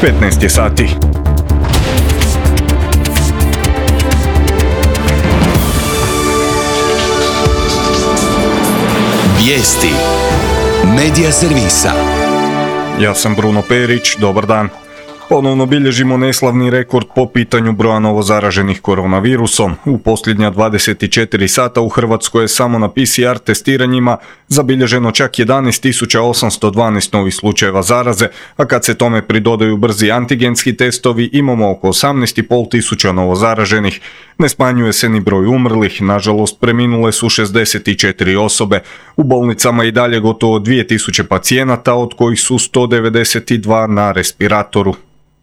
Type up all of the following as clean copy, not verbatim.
15 je sati. Vijesti Medija servisa. Ja sam Bruno Perić, dobar dan. Ponovno bilježimo neslavni rekord po pitanju broja novozaraženih koronavirusom. U posljednja 24 sata u Hrvatskoj je samo na PCR testiranjima zabilježeno čak 11.812 novih slučajeva zaraze, a kad se tome pridodaju brzi antigenski testovi imamo oko 18.500 novozaraženih. Ne smanjuje se ni broj umrlih, nažalost preminule su 64 osobe. U bolnicama i dalje gotovo 2000 pacijenata, od kojih su 192 na respiratoru.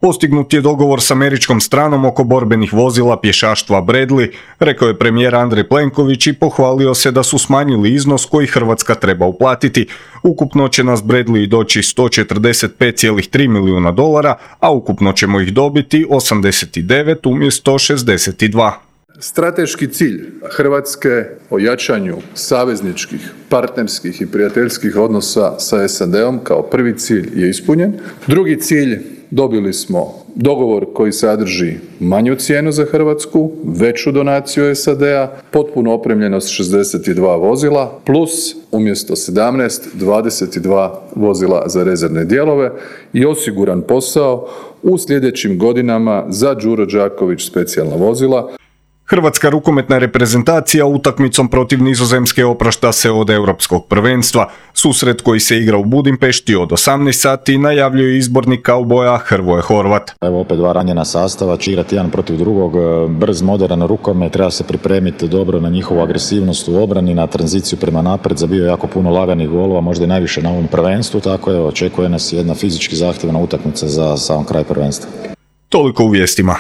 Postignut je dogovor s američkom stranom oko borbenih vozila pješaštva Bradley, rekao je premijer Andrej Plenković i pohvalio se da su smanjili iznos koji Hrvatska treba uplatiti. Ukupno će nas Bradley doći $145,3 milijuna, a ukupno ćemo ih dobiti 89 umjesto 62. Strateški cilj Hrvatske o jačanju savezničkih, partnerskih i prijateljskih odnosa sa SAD-om kao prvi cilj je ispunjen. Drugi cilj, dobili smo dogovor koji sadrži manju cijenu za Hrvatsku, veću donaciju SAD-a, potpuno opremljenost 62 vozila, plus umjesto 17, 22 vozila za rezervne dijelove i osiguran posao u sljedećim godinama za Đuro Đaković specijalna vozila. Hrvatska rukometna reprezentacija utakmicom protiv Nizozemske oprašta se od europskog prvenstva. Susret koji se igra u Budimpešti od 18 sati najavljuje izbornik kauboja Hrvoje Horvat. Evo opet dva ranjena sastava, će igrati jedan protiv drugog, brz, moderan rukomet, treba se pripremiti dobro na njihovu agresivnost u obrani, na tranziciju prema naprijed, zabio jako puno laganih golova, možda i najviše na ovom prvenstvu, tako je, očekuje nas jedna fizički zahtjevna utakmica za sam kraj prvenstva. Toliko u vijestima.